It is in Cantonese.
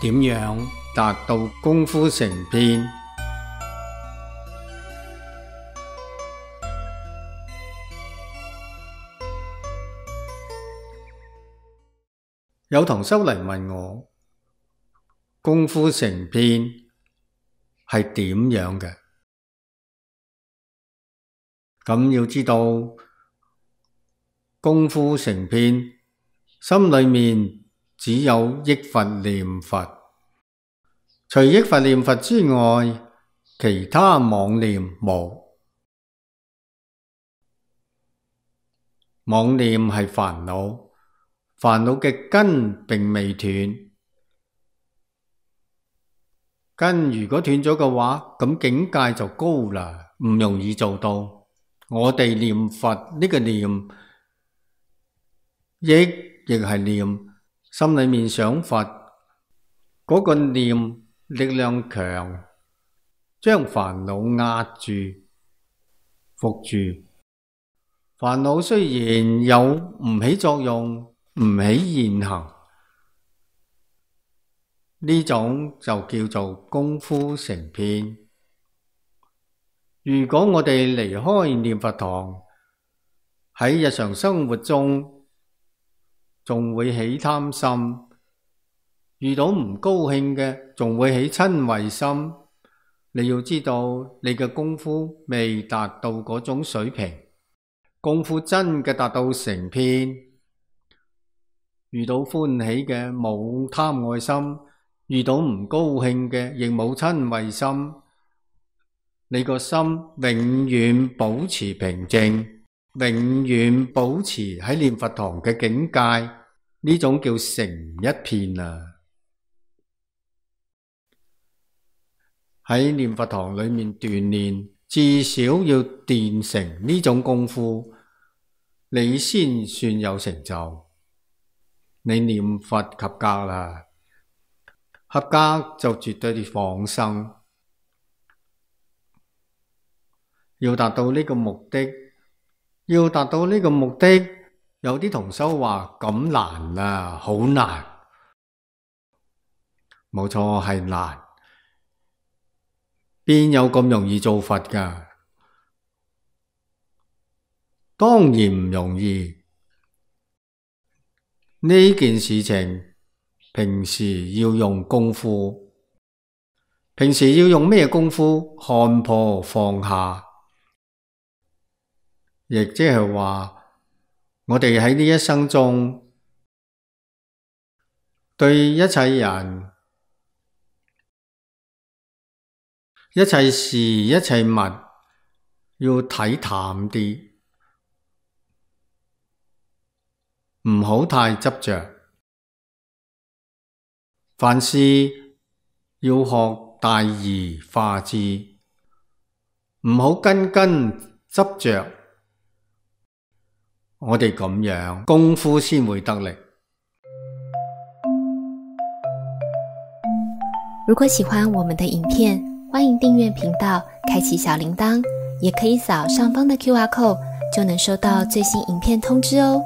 點樣達到功夫成片？有同修嚟問我，功夫成片係點樣嘅？咁要知道，功夫成片，心裏面只有憶佛念佛，除憶佛念佛之外，其他妄念無。妄念係煩惱，煩惱嘅根並未斷。根如果斷咗嘅話，咁境界就高啦，唔容易做到。我哋念佛呢個念，憶亦係念，心裏面想佛，嗰個念力量強，將煩惱壓住、伏住。煩惱雖然有唔起作用，唔起現行，呢種就叫做功夫成片。如果我哋離開念佛堂，喺日常生活中仲會起貪心，遇到唔高興嘅仲會起瞋恚心。你要知道，你嘅功夫未達到嗰種水平。功夫真嘅達到成片，遇到歡喜嘅冇貪愛心，遇到唔高興嘅亦冇瞋恚心。你個心永遠保持平靜，永遠保持喺念佛堂嘅境界，呢種叫成一片啊！喺念佛堂裏面鍛煉，至少要練成呢種功夫，你先算有成就。你念佛及格啦，合格就絕對放生。要達到呢個目的，有啲同修話咁難啊，好難。冇錯，係難。邊有咁容易做佛㗎？當然唔容易。呢件事情平時要用功夫。平時要用咩功夫？看破放下。亦即係話，我哋喺呢一生中，對一切人、一切事、一切物，要睇淡啲，唔好太執着。凡事要學大而化之，唔好根執着。我哋咁樣功夫先會得力。如果喜歡我們的影片，歡迎訂閱頻道，開啟小鈴鐺，也可以掃上方的QR code，就能收到最新影片通知哦。